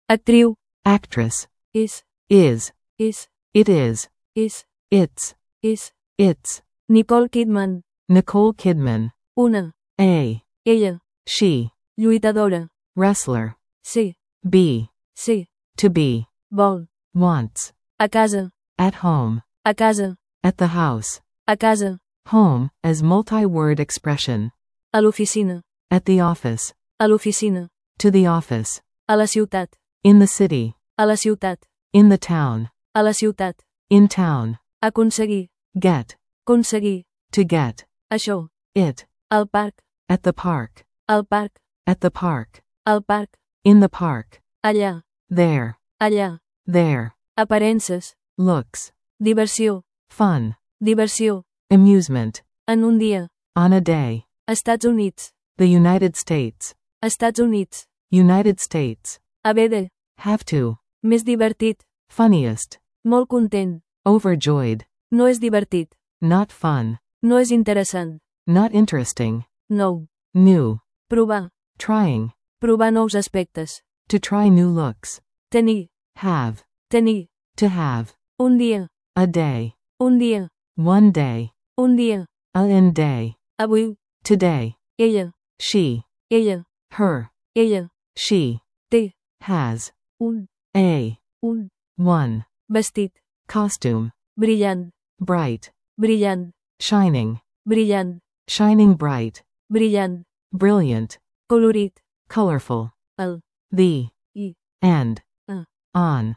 Actriu. Actress. És. Is. És. It is. És. It's. És. It's. Nicole Kidman. Nicole Kidman. Una. A. Ella. She. Lluitadora. Wrestler. Ser. Be. Ser. To be. Vol. Wants. A casa. At home. A casa. At the house. A casa. Home, as multi-word expression. A l'oficina. At the office. A l'oficina. To the office. A la ciutat. In the city. A la ciutat. In the town. A la ciutat. In town. Aconseguir. Get. Aconseguir. To get. Això. It. Al parc. At the park. Al parc. At the park. Al parc. In the park. Allà. There. Allà. There. Aparences. Looks. Diversió. Fun. Diversió. Amusement. En un dia. On a day. Estats Units. The United States. Estats Units. United States. Haver de. Have to. Més divertit. Funniest. Molt content. Overjoyed. No és divertit. Not fun. No és interessant. Not interesting. Nou. New. Provar. Trying. Provar nous aspectes. To try new looks. Tenir. Have. Tenir. To have. Un dia. A day. Un dia. One day. Un dia. An day. Avui. Today. Ella. She. Ella. Her. Ella. She. Té. Has. Un. A. Un. One. Vestit. Costume. Brillant. Bright. Brillant. Shining. Brillant. Shining bright. Brillant. Brilliant. Colorit. Colorful. El. The. I. And. A. On.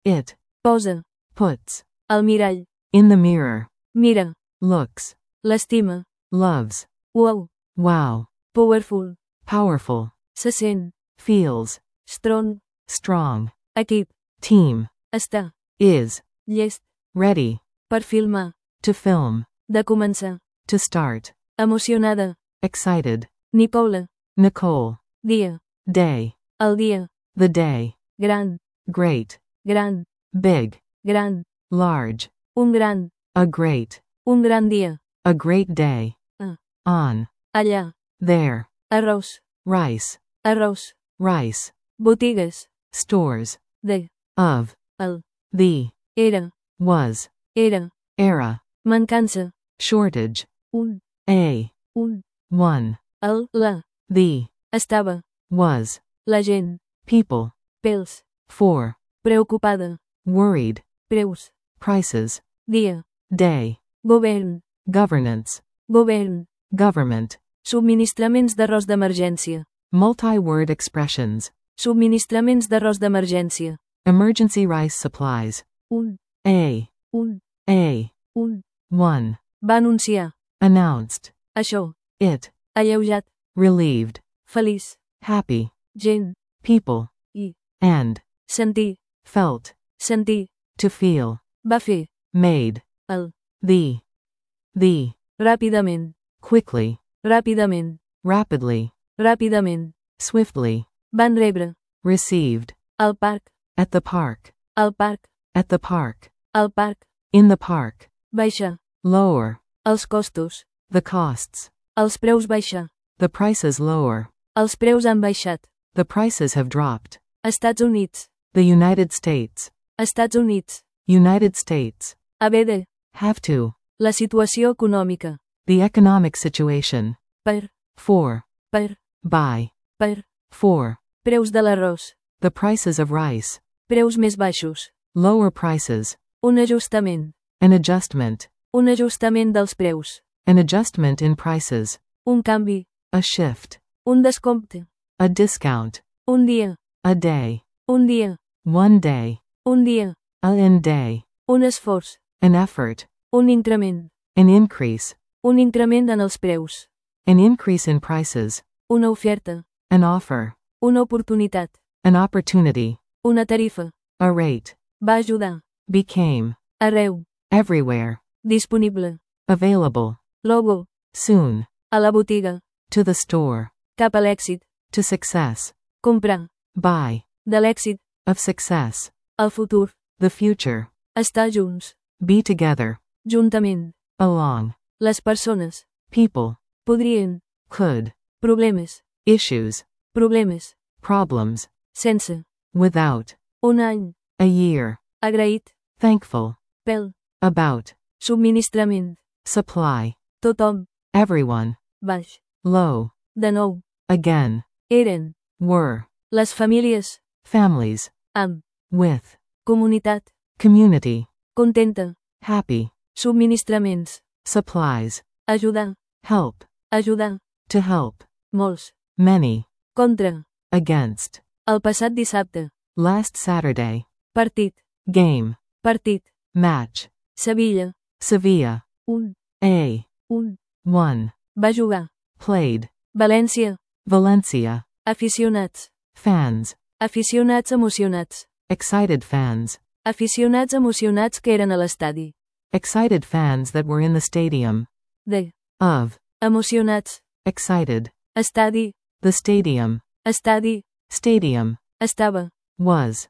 It. Posa. Puts. Al mirall. In the mirror. Mira. Looks. L'estima. Loves. Wow. Wow. Powerful. Powerful. Se sent. Feels. Strong. Strong. Equip. Team. Està. Is. Llest. Ready. Per filmar. To film. De començar. To start. Emocionada. Excited. Nicole. Nicole. Dia. Day. El dia. The day. Gran. Great. Gran. Big. Gran. Large. Un gran. A great. Un gran dia. A great day. A. On. Allà. There. Arròs. Rice. Arròs. Rice. Botigues. Stores. De. Of. El. The. Era. Was. Era. Era. Mancança. Shortage. Un. A. Un. One. El. La. The. Estava. Was. La gent. People. Pels. For. Preocupada. Worried. Preus. Prices. Dia. Day. Govern. Governance. Govern. Government. Subministraments d'arròs d'emergència. Multi-word expressions. Subministraments d'arròs d'emergència. Emergency rice supplies. Un. A. Un. A. Un. One. Va anunciar. Announced. Això. It. Alleujat. Relieved. Feliç. Happy. Gent. People. I. And. Sentir. Felt. Sentir. To feel. Va fer. Made. El. The. The. Ràpidament. Quickly. Ràpidament. Rapidly. Ràpidament. Swiftly. Van rebre. Received. Al parc. At the park. Al parc. At the park. Al parc. In the park. Baixar. Lower. Els costos. The costs. Els preus baixar. The prices lower. Els preus han baixat. The prices have dropped. Estats Units. The United States. Estats Units. United States. Haver de. Have to. La situació econòmica. The economic situation. Per. For. Per. By. Per. For. Preus de l'arròs. The prices of rice. Preus més baixos. Lower prices. Un ajustament. An adjustment. Un ajustament dels preus. An adjustment in prices. Un canvi. A shift. Un descompte. A discount. Un dia. A day. Un dia. One day. Un dia. An day. Un esforç. An effort. Un increment. An increase. Un increment en els preus. An increase in prices. Una oferta. An offer. Una oportunitat. An opportunity. Una tarifa. A rate. Va ajudar. Became. Arreu. Everywhere. Disponible. Available. Logo. Soon. A la botiga. To the store. Cap a l'èxit. To success. Comprar. Buy. De l'èxit. Of success. El futur. The future. Estar junts. Be together. Juntament. Along. Les persones. People. Podrien. Could. Problemes. Issues. Problemes. Problems. Sense. without, un any, a year, agraït, thankful, pel, about, subministrament, supply, tothom, everyone, baix, low, de nou, again, eren, were, les famílies, families, amb, with, comunitat, community, contenta, happy, subministraments, supplies, ajudar, help, ajudar, to help, molts, many, contra, against, el passat dissabte, last Saturday, partit, game, partit, match, Sevilla, Sevilla, un, one, va jugar, played, València, Valencia, aficionats, fans, aficionats emocionats, excited fans, aficionats emocionats que eren a l'estadi, excited fans that were in the stadium, de, of, emocionats, excited, estadi, the stadium, estadi, stadium, estava, was,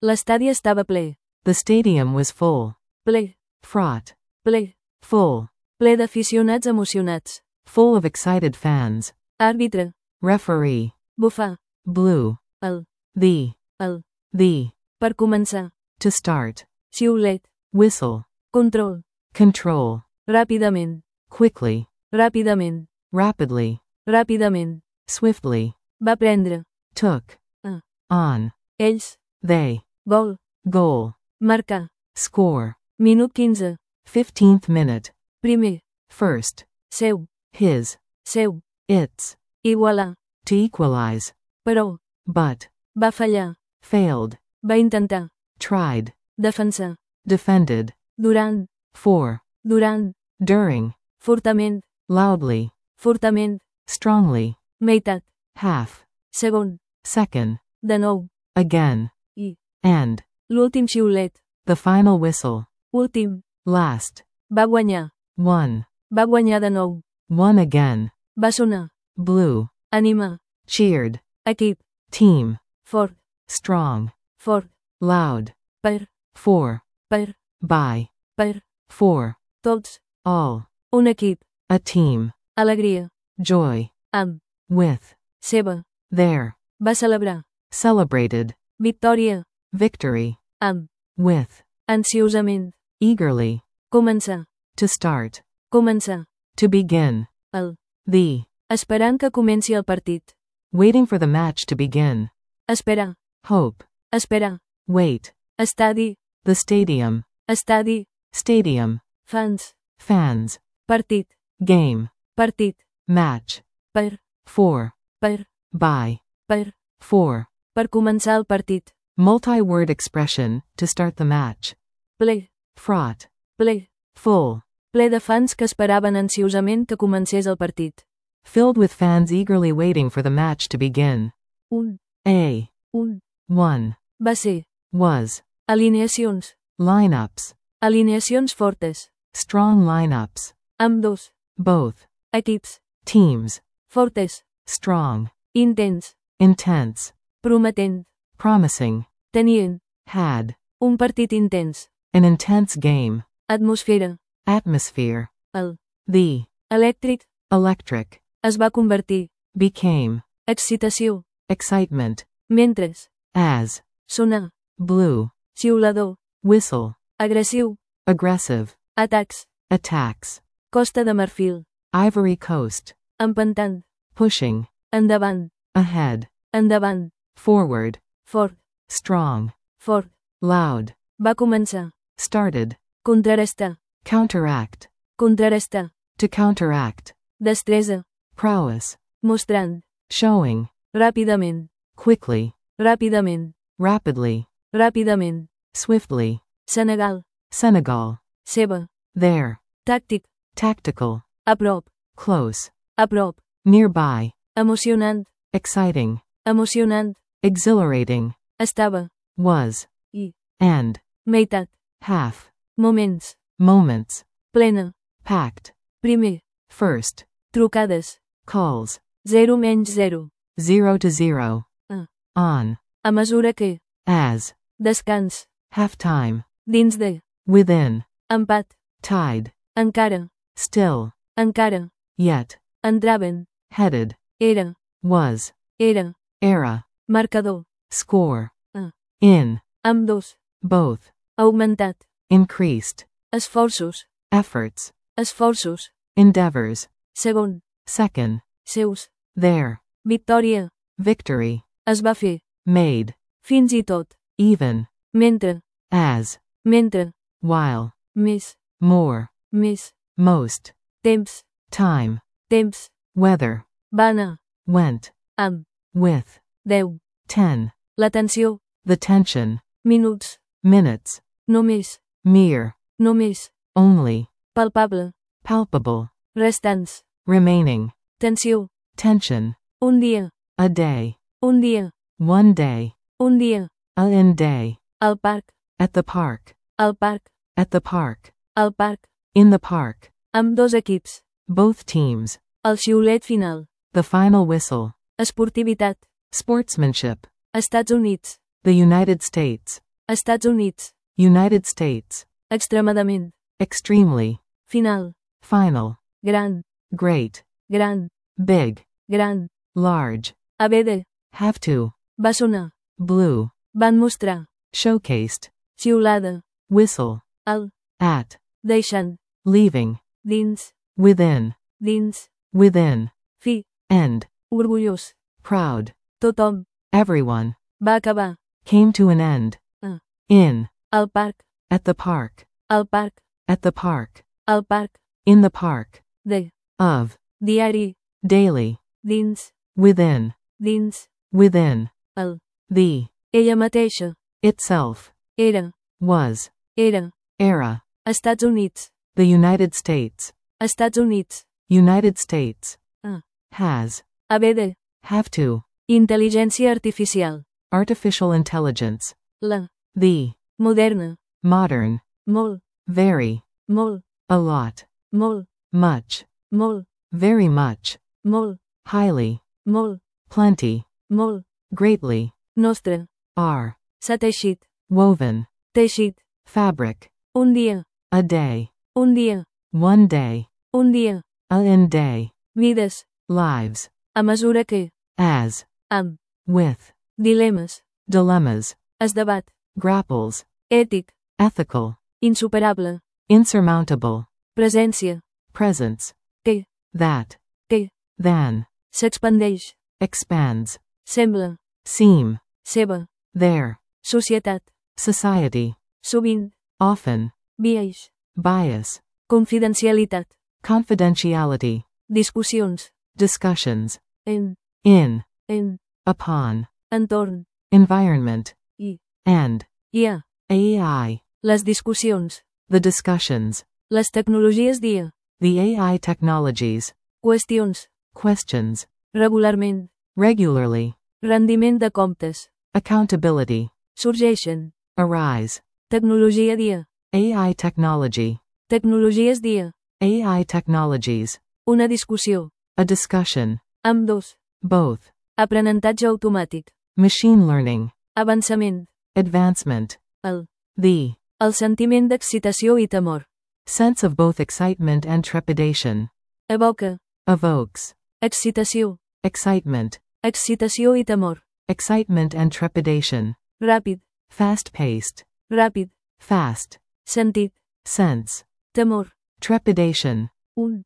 l'estadi estava ple, the stadium was full, ple, fraught, ple, full, ple d'aficionats emocionats, full of excited fans, àrbitre, referee, bufar, blue, el, the, per començar, to start, xiulet, whistle, control, control, ràpidament, quickly, ràpidament, rapidly, ràpidament, swiftly, va prendre, took, Ah. on, ells, they, gol, goal, marcar, score, minut 15, 15th minute, primer, first, seu, his, seu, its, igualar, to equalize, però, but, va fallar, failed, va intentar, tried, defensar, defended, durant, for, durant, during, fortament, loudly, fortament, strongly, meitat, half, segon, second, de nou, again, i, and, l'últim xiulet, the final whistle, últim, last, va guanyar, va guanyar de nou, one again, va sonar, blue, animar, cheered, equip, team, fort, strong, fort, loud, per, for, per, by, per, for, tots, all, un equip, a team, alegria, joy, amb, with, seva, there, va celebrar, celebrated, victòria, victory, amb, with, ansiosament, eagerly, començar, to start, començar, to begin, el, esperant que comenci el partit, waiting for the match to begin, esperar, hope, esperar, wait, estadi, the stadium, estadi, fans, fans, partit, game, partit, match, per, for, per, by, per, for, per començar el partit, multi-word expression, to start the match, ple, fraught, ple, full, ple de fans que esperaven ansiosament que comencés el partit, filled with fans eagerly waiting for the match to begin, un, one, va ser, was, alineacions, lineups, alineacions fortes, strong lineups, ambdós, both, equips, teams, fortes, strong, intens, intense, prometent, promising, tenien, had, un partit intens, an intense game, atmosfera, atmosphere, el, elèctric, electric, es va convertir, became, excitació, excitement, mentres, as, sonar, blue, xiulador, whistle, agressiu, aggressive, atacs, attacks, Costa de Marfil, Ivory Coast, empentant, pushing, endavant, ahead, endavant, forward, fort, strong, fort, loud, va començar, started, contrarestar, counteract, contrarestar, to counteract, destresa, prowess, mostrant, showing, ràpidament, quickly, ràpidament, rapidly, ràpidament, swiftly, Senegal, Senegal, seva, there, tàctic, tactical, a prop, close, nearby, emocionant, exciting, exhilarating, estava, was, i, and, meitat, half, moments, moments, plena, packed, primer, first, trucades, calls, 0 menys 0, 0 to 0, Ah. on, a mesura que, as, descans, halftime, dins de, within, empat, tied, encara, still, encara, yet, entraven, headed, era, was, era, era, marcador, score, A. in, Ambdós. both, Augmentat. increased, Esforços. efforts, Esforços. endeavors, Segon. second, Seus. their, Victòria. victory, Es va fer. made, Fins i tot. even, Mentre. as, Mentre. while, Més. more, Més. most, Temps. time, Temps. weather, Va anar. went, Amb. with, 10. 10, L'atenció. the tension, Minuts. minutes, Només. mere, Només. only, Palpable. palpable, Restants. remaining, Tensió. tension, Un dia. a day, Un dia. one day, Un dia. a in day, Al parc. at the park, Al parc. at the park, Al parc. in the park, Amb dos equips. both teams, El xiulet final. the final whistle, Esportivitat. sportsmanship, Estats Units. the United States, Estats Units. United States, Extremadament. extremely, Final. final, Gran. great, Gran. big, Gran. large, Haver de. have to, Va sonar. blue, Van mostrar. showcased, Xiulada. whistle, Al. at, Deixant. leaving, Dins. within, Dins. within, Fi. end, Orgullós. proud, Tothom. everyone, Va acabar. came to an end, Ah. in, Al parc. at the park, Al parc. at the park, Al parc. in the park, De. of, Diari. daily, Dins. within, Dins. within, El. the, Ella mateixa. itself, Era. was, Era. era, Estats Units. the United States, Estats Units. United States, Ah. has, Haver de. have to, Intel·ligència artificial. artificial intelligence, La. the, Moderna. modern, Molt. very, Molt. a lot, Molt. much, Molt. very much, Molt. highly, Molt. plenty, Molt. greatly, Nostre. are, S'ha teixit. woven, Teixit. fabric, Un dia. a day, Un dia. one day, Un dia. a in day, Vides. lives, A mesura que. as, Amb. with, Dilemes. dilemmas, Es debat. grapples, Ètic. ethical, Insuperable. insurmountable, Presència. presence, Que. that, Que. than, S'expandeix. expands, Sembla. seem, Seva. their, Societat. society, Sovint. often, Biaix. bias, Confidencialitat. confidentiality, Discussions. discussions, En. in, upon, Entorn. environment, I. and, Hi ha. AI, Les discussions. the discussions, Les tecnologies dia. the AI technologies, Qüestions. questions, Regularment. regularly, Rendiment de comptes. accountability, Sorgeixen. arise, Tecnologia dia. AI technology, Tecnologies dia. AI technologies, Una discussió. a discussion, Ambdós. both, Aprenentatge automàtic. machine learning, Avançament. advancement, El. the, Sentiment d'excitació i temor. sense of both excitement and trepidation, Evoca. evokes, Excitació. excitement, Excitació i temor. excitement and trepidation, Ràpid. fast-paced, Ràpid. fast, Sentit. sense, Temor. trepidation, Un.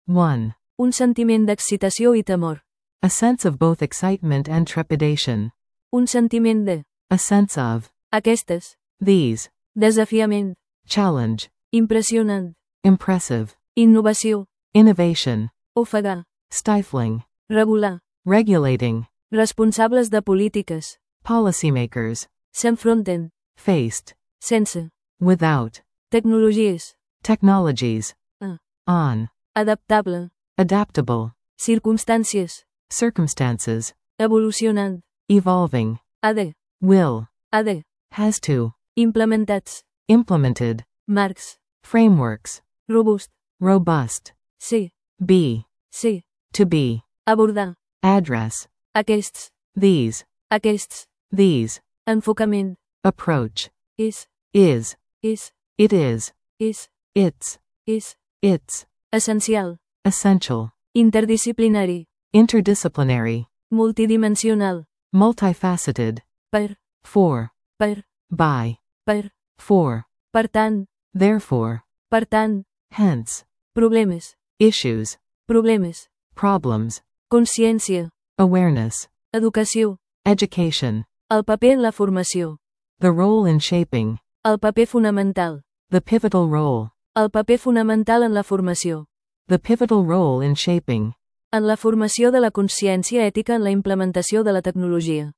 one, Un sentiment d'excitació i temor. a sense of both excitement and trepidation, Un sentiment de. a sense of, Aquestes. these, Desafiament. challenge, Impressionant. impressive, Innovació. innovation, Ofegar. stifling, Regular. regulating, Responsables de polítiques. policymakers, S'enfronten. faced, Sense. without, Tecnologies. technologies, Ah. on, Adaptable. adaptable, Circumstàncies. circumstances, Evolucionant. evolving, Ha de. will, Ha de. has to, Implementats. implemented, Marcs. frameworks, Robust. robust, Sí. be, Sí. to be, Abordar. address, Aquests. these, Aquests. these, Enfocament. approach, És. is, És. it is, És. it's, És. it's, Essencial. essential, Interdisciplinari. interdisciplinary, Multidimensional. multifaceted, per, for, per, by, per, for, per tant, therefore, per tant, hence, problemes, issues, problemes, problems, consciència, awareness, educació, education, el paper en la formació, the role in shaping, el paper fonamental, the pivotal role, el paper fonamental en la formació, the pivotal role in shaping, en la formació de la consciència ètica en la implementació de la tecnologia,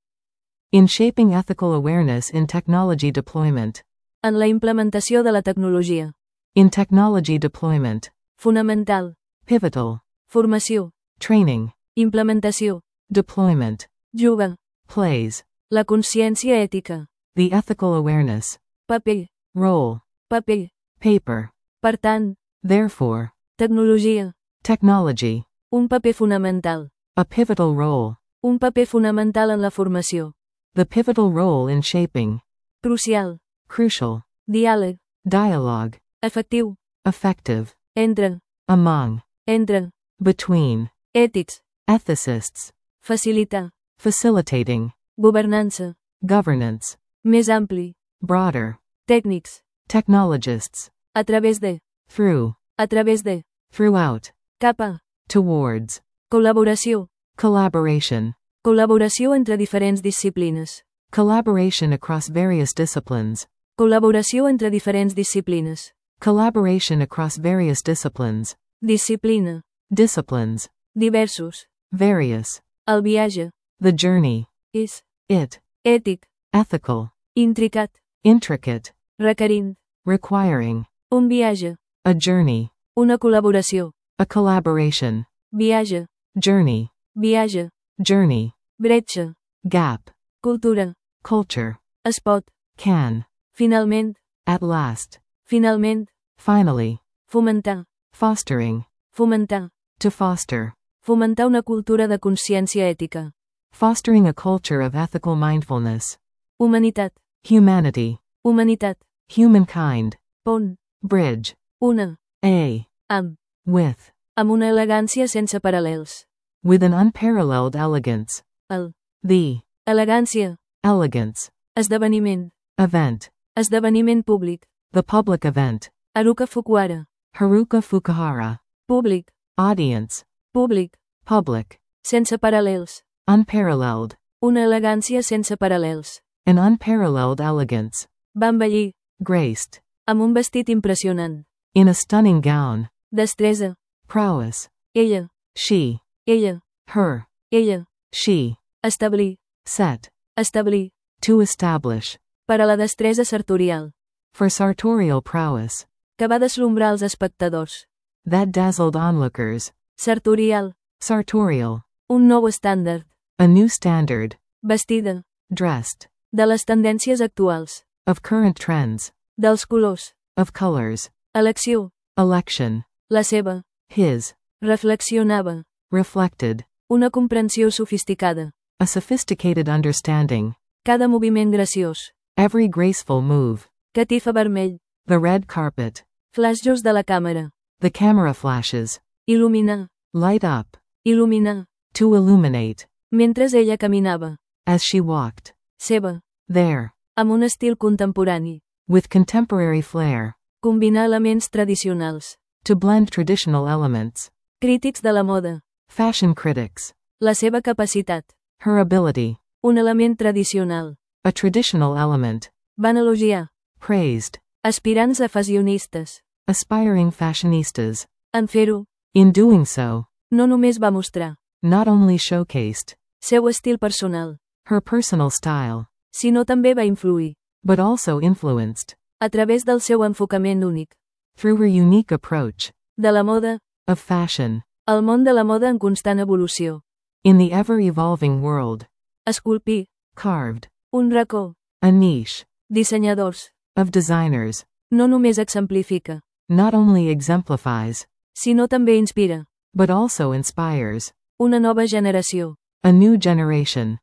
in shaping ethical awareness in technology deployment, en la implementació de la tecnologia, in technology deployment, fonamental, pivotal, formació, training, implementació, deployment, juga, plays, la consciència ètica, the ethical awareness, paper, role, paper, paper, per tant, therefore, tecnologia, technology, un paper fonamental, a pivotal role, un paper fonamental en la formació, the pivotal role in shaping, crucial, crucial, diàleg, dialogue, efectiu, effective, entre, among, entre, between, ètics, ethicists, facilitar, facilitating, governança, governance, més ampli, broader, tècnics, technologists, a través de, through, a través de, throughout, cap a, towards, col·laboració, collaboration, col·laboració entre diferents disciplines, collaboration across various disciplines, col·laboració entre diferents disciplines, collaboration across various disciplines, disciplina, disciplines, diversos, various, el viatge, the journey, és, it, ètic, ethical, intricat, intricate, requerint, requiring, un viatge, a journey, una col·laboració, a collaboration, viatge, journey, viatge, journey, bretxa, gap, cultura, culture, es pot, can, finalment, at last, finalment, finally, fomentar, fostering, fomentar, to foster, fomentar una cultura de consciència ètica, fostering a culture of ethical mindfulness, humanitat, humanity, humanitat, humankind, pont, bridge, una, a, amb with una elegància sense paral·lels, an unparalleled elegance, el, the, elegància, elegance, esdeveniment, event, esdeveniment públic, the public event, Haruka Fukuhara, Haruka Fukuhara, públic, audience, públic, public, sense paral·lels, unparalleled, una elegància sense paral·lels, an unparalleled elegance, va embellir, graced, amb un vestit impressionant, in a stunning gown, destresa, prowess, ella, she, ella, her, ella, she, establir, set, establir, to establish, per a la destresa sartorial, for sartorial prowess, que va deslumbrar els espectadors, that dazzled onlookers, sartorial, sartorial, un nou estàndard, a new standard, vestida, dressed, de les tendències actuals, of current trends, dels colors, of colors, elecció, election, la seva, his, reflexionava, reflected, una comprensió sofisticada, a sophisticated understanding, cada moviment graciós, every graceful move, catifa vermell, the red carpet, flasjos de la càmera, the camera flashes, il·luminar, light up, il·luminar, to illuminate, mentre ella caminava, as she walked, seva, there, amb un estil contemporani, with contemporary flair, combinar elements tradicionals, to blend traditional elements, crítics de la moda, fashion critics, la seva capacitat, her ability, un element tradicional, a traditional element, van elogiar, praised, aspirants a fashionistes, aspiring fashionistas, en fer-ho, in doing so, no només va mostrar, not only showcased, seu estil personal, her personal style, sinó també va influir, but also influenced, a través del seu enfocament únic, through her unique approach, de la moda, of fashion, el món de la moda en constant evolució, in the ever-evolving world, esculpir, carved, un racó, a niche, dissenyadors, of designers, no només exemplifica, not only exemplifies, sinó també inspira, but also inspires, una nova generació, a new generation,